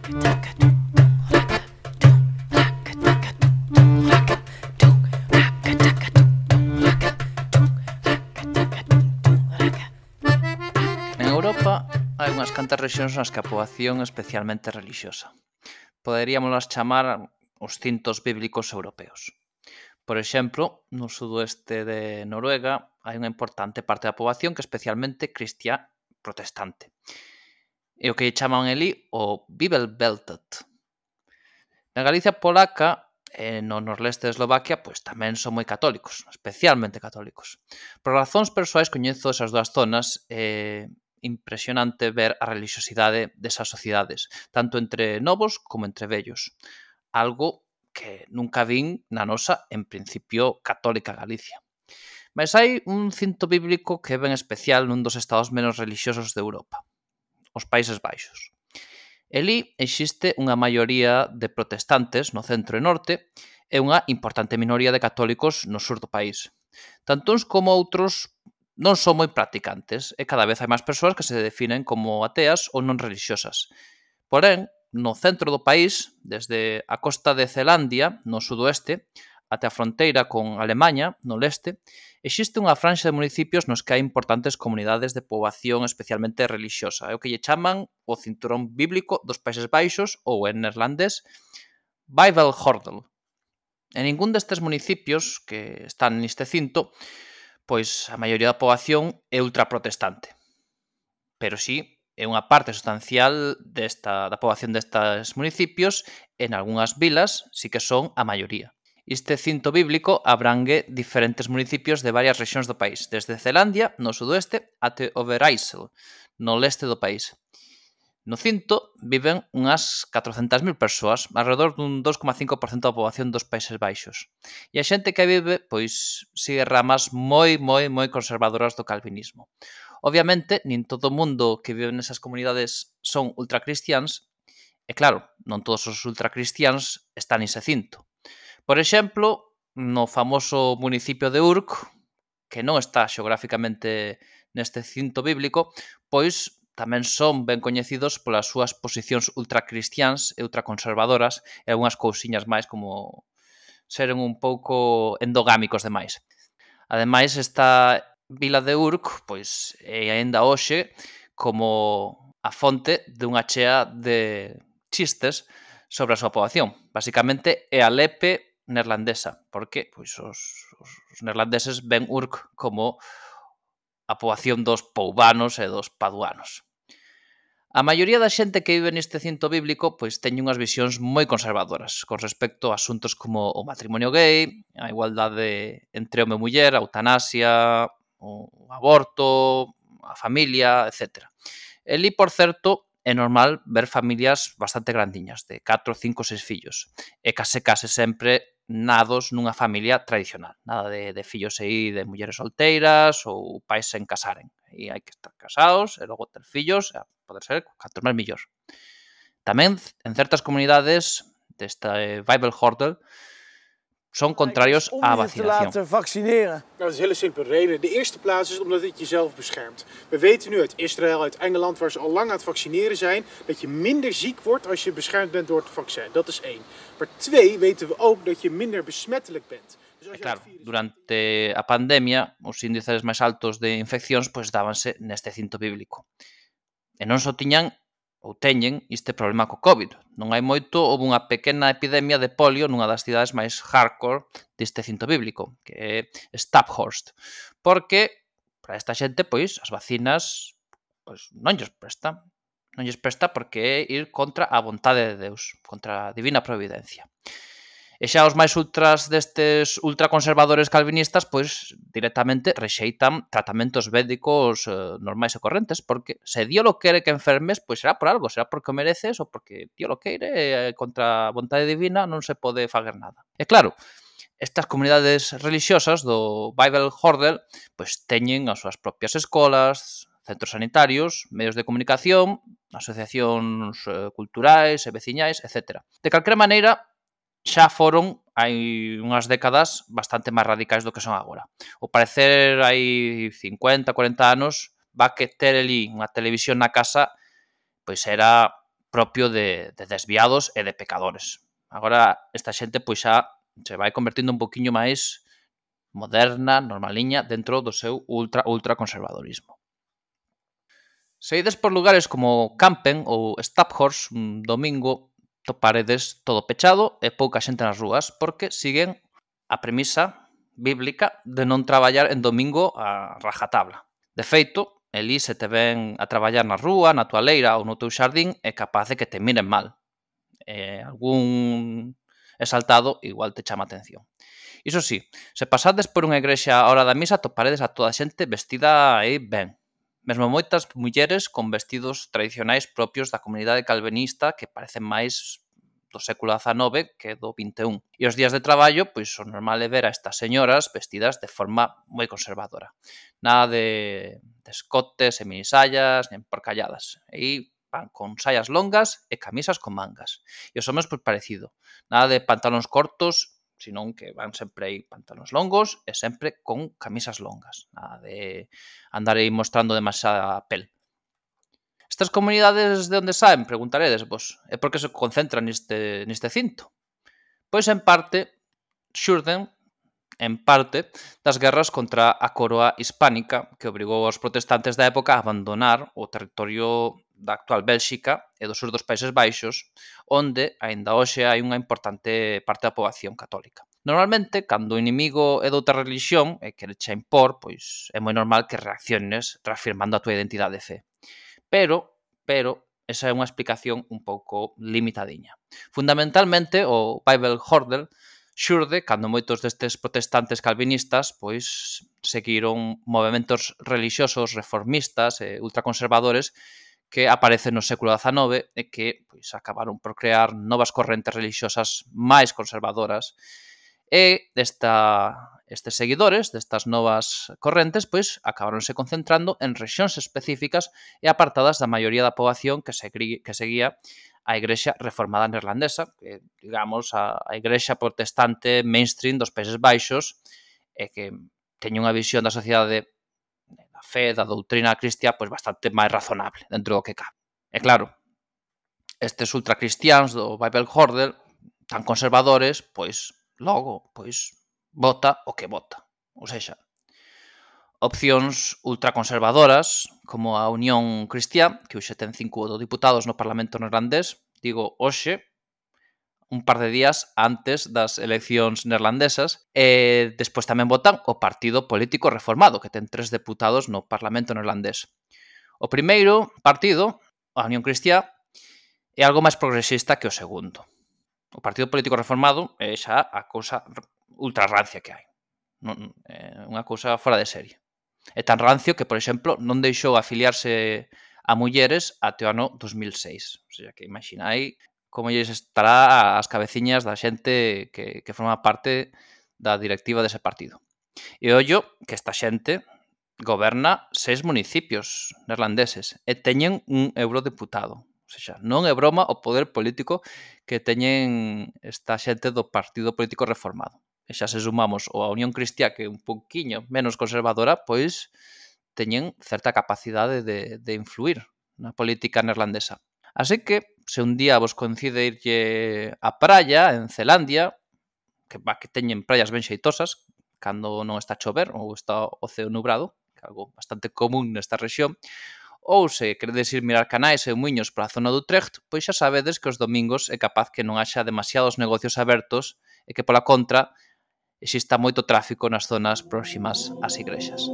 En Europa hai unhas cantas rexións nas que a poboación é especialmente relixiosa. Poderíamolas chamar os cintos bíblicos europeos. Por exemplo, no sudoeste de Noruega hai unha importante parte da poboación que é especialmente cristiá protestante. E o que chaman elí o Bibelbeltet. Na Galicia polaca e no norleste de Eslovaquia pois tamén son moi católicos, especialmente católicos. Por razóns persoais coñezo esas dúas zonas e impresionante ver a relixiosidade desas sociedades, tanto entre novos como entre vellos. Algo que nunca vin na nosa, en principio, católica Galicia. Mais hai un cinto bíblico que é ben especial nun dos estados menos relixiosos de Europa, os Países Baixos. Elí existe unha maioría de protestantes no centro e norte e unha importante minoría de católicos no sur do país. Tanto uns como outros non son moi practicantes e cada vez hai máis persoas que se definen como ateas ou non religiosas. Porén, no centro do país, desde a costa de Zelandia, no sudoeste, até a fronteira con Alemaña, no leste, existe unha franxa de municipios nos que hai importantes comunidades de poboación especialmente relixiosa. É o que lle chaman o cinturón bíblico dos Países Baixos ou, en neerlandés, Bijbelgordel. En ningún destes municipios que están neste cinto, pois a maioría da poboación é ultraprotestante. Pero sí, é unha parte substancial da poboación destes municipios, en algunhas vilas sí que son a maioría. Este cinto bíblico abrangue diferentes municipios de varias rexións do país, desde Zelandia, no sudoeste, até Overijssel, no leste do país. No cinto viven unhas 400.000 persoas, alrededor dun 2,5% da poboación dos Países Baixos. E a xente que vive, pois, sigue ramas moi conservadoras do calvinismo. Obviamente, nin todo o mundo que vive nesas comunidades son ultracristiáns, e claro, non todos os ultracristiáns están nese cinto. Por exemplo, no famoso municipio de Urk, que non está xeográficamente neste cinto bíblico, pois tamén son ben coñecidos polas súas posicións ultracristiáns e ultraconservadoras e algunhas cousiñas máis como seren un pouco endogámicos demais. Ademais, esta vila de Urk pois é aínda hoxe como a fonte dunha chea de chistes sobre a súa poboación. Basicamente é a lepe neerlandesa, porque pois os neerlandeses ven Urk como a poboación dos poubanos e dos paduanos. A maioría da xente que vive neste cinto bíblico pois teñen unhas visións moi conservadoras con respecto a asuntos como o matrimonio gay, a igualdade entre home e muller, a eutanasia, o aborto, a familia, etc. Elí, por certo, é normal ver familias bastante grandiñas, de 4, 5, 6 fillos, e case sempre nados nunha familia tradicional, nada de fillos aí de mulleres solteiras ou pais sen casaren. E hai que estar casados e logo ter fillos, a poder ser cantos máis millor. Tamén, en certas comunidades desta Bijbelgordel, son contrarios á vacinación. Te laten vaccineren. Nou, dat is een hele simpele reden. De eerste plaats is omdat het jezelf beschermt. We weten nu uit Israël, uit Engeland, waar ze al lang aan het vaccineren zijn, dat je minder ziek wordt als je beschermd bent door het vaccin. Dat is 1. Maar 2 weten we ook dat je minder besmettelijk bent. Dus als je claro, durante a pandemia, os índices máis altos de infeccións pois dábanse neste cinto bíblico. E non só tiñan ou teñen este problema co COVID. Non hai moito, houve unha pequena epidemia de polio nunha das cidades máis hardcore deste cinto bíblico, que é Staphorst. Porque, para esta xente, pois, as vacinas pois, non lles presta. Non lles presta porque é ir contra a vontade de Deus, contra a divina providencia. E xa os máis ultraconservadores calvinistas, pois, directamente rexeitan tratamentos médicos normais e correntes, porque se Dios lo quere que enfermes, pois será por algo, será porque o mereces ou porque Dios lo queire e contra a vontade divina non se pode fager nada. E claro, estas comunidades religiosas do Bijbelgordel, pois teñen as súas propias escolas, centros sanitarios, medios de comunicación, asociacións culturais e veciñais, etc. De calquera maneira, xa foron hai unhas décadas bastante máis radicais do que son agora. Ao parecer, hai 50, 40 anos, va que ter ali unha televisión na casa pois era propio de desviados e de pecadores. Agora esta xente pois xa se vai convertindo un poquinho máis moderna, normaliña, dentro do seu ultra conservadorismo. Se ides por lugares como Campen ou Staphorst un domingo, toparedes todo pechado e pouca xente nas rúas, porque siguen a premisa bíblica de non traballar en domingo a rajatabla. De feito, elí se te ven a traballar na rúa, na tua leira ou no teu xardín, é capaz de que te miren mal. Algún exaltado igual te chama a atención. Iso sí, se pasades por unha igrexa a hora da misa, toparedes a toda a xente vestida aí ben. Mesmo moitas mulleres con vestidos tradicionais propios da comunidade calvinista que parecen máis do século XIX que do XXI. E os días de traballo, pois o normal é ver a estas señoras vestidas de forma moi conservadora. Nada de escotes e minisallas, nen porcalladas. Aí van con saias longas e camisas con mangas. E os homens, pois parecido. Nada de pantalóns cortos, senón que van sempre aí pantalóns longos e sempre con camisas longas. Nada de andar aí mostrando demasiada pel. Estas comunidades de onde saen, preguntaredes vos, e por que se concentran neste cinto? Pois en parte xurden das guerras contra a coroa hispánica que obrigou aos protestantes da época a abandonar o territorio da actual Bélxica e do sur dos Países Baixos, onde aínda hoxe hai unha importante parte da poboación católica. Normalmente, cando o inimigo é doutra religión e quere che impor, pois é moi normal que reacciones reafirmando a tua identidade de fe. Pero, esa é unha explicación un pouco limitadiña. Fundamentalmente, o Bible Hordle xurde cando moitos destes protestantes calvinistas pois seguiron movementos relixiosos reformistas e ultraconservadores que aparecen no século XIX e que pois acabaron por crear novas correntes relixiosas máis conservadoras e estes seguidores destas novas correntes pois acabaronse concentrando en rexións específicas e apartadas da maioría da poboación que seguía a Igrexa Reformada Neerlandesa, que, digamos, a Igrexa protestante mainstream dos Países Baixos e que teña unha visión da sociedade da fe, da doutrina cristiá, pois bastante máis razonable dentro do que cabe. E claro, estes ultracristiáns do Bible Hordle, tan conservadores, pois logo, pois vota o que vota. Ou seja, opcións ultraconservadoras como a Unión Cristiá, que hoxe ten 5 diputados no Parlamento neerlandés, digo hoxe, un par de días antes das eleccións neerlandesas, e despois tamén votan o Partido Político Reformado, que ten 3 deputados no Parlamento neerlandés. O primeiro partido, a Unión Cristiá, é algo máis progresista que o segundo. O Partido Político Reformado é xa a cousa ultra rancia que hai. É unha cousa fora de serie. É tan rancio que, por exemplo, non deixou afiliarse a mulleres até o ano 2006. O sea, que imaginai como lles estará as cabeciñas da xente que forma parte da directiva dese partido. E ollo que esta xente goberna 6 municipios neerlandeses e teñen un eurodeputado. O sea, non é broma o poder político que teñen esta xente do Partido Político Reformado. E xa se sumamos a Unión Cristiá, que é un pouquiño menos conservadora, pois teñen certa capacidade de influir na política neerlandesa. Así que, se un día vos coincide irlle á praia, en Zelandia, que teñen praias ben xeitosas, cando non está a chover ou está o ceo nubrado, que é algo bastante común nesta rexión, ou se queredes ir mirar canais e muiños pola zona do Utrecht, pois xa sabedes que os domingos é capaz que non haxa demasiados negocios abertos e que, pola contra, exista moito tráfico nas zonas próximas ás igrexas.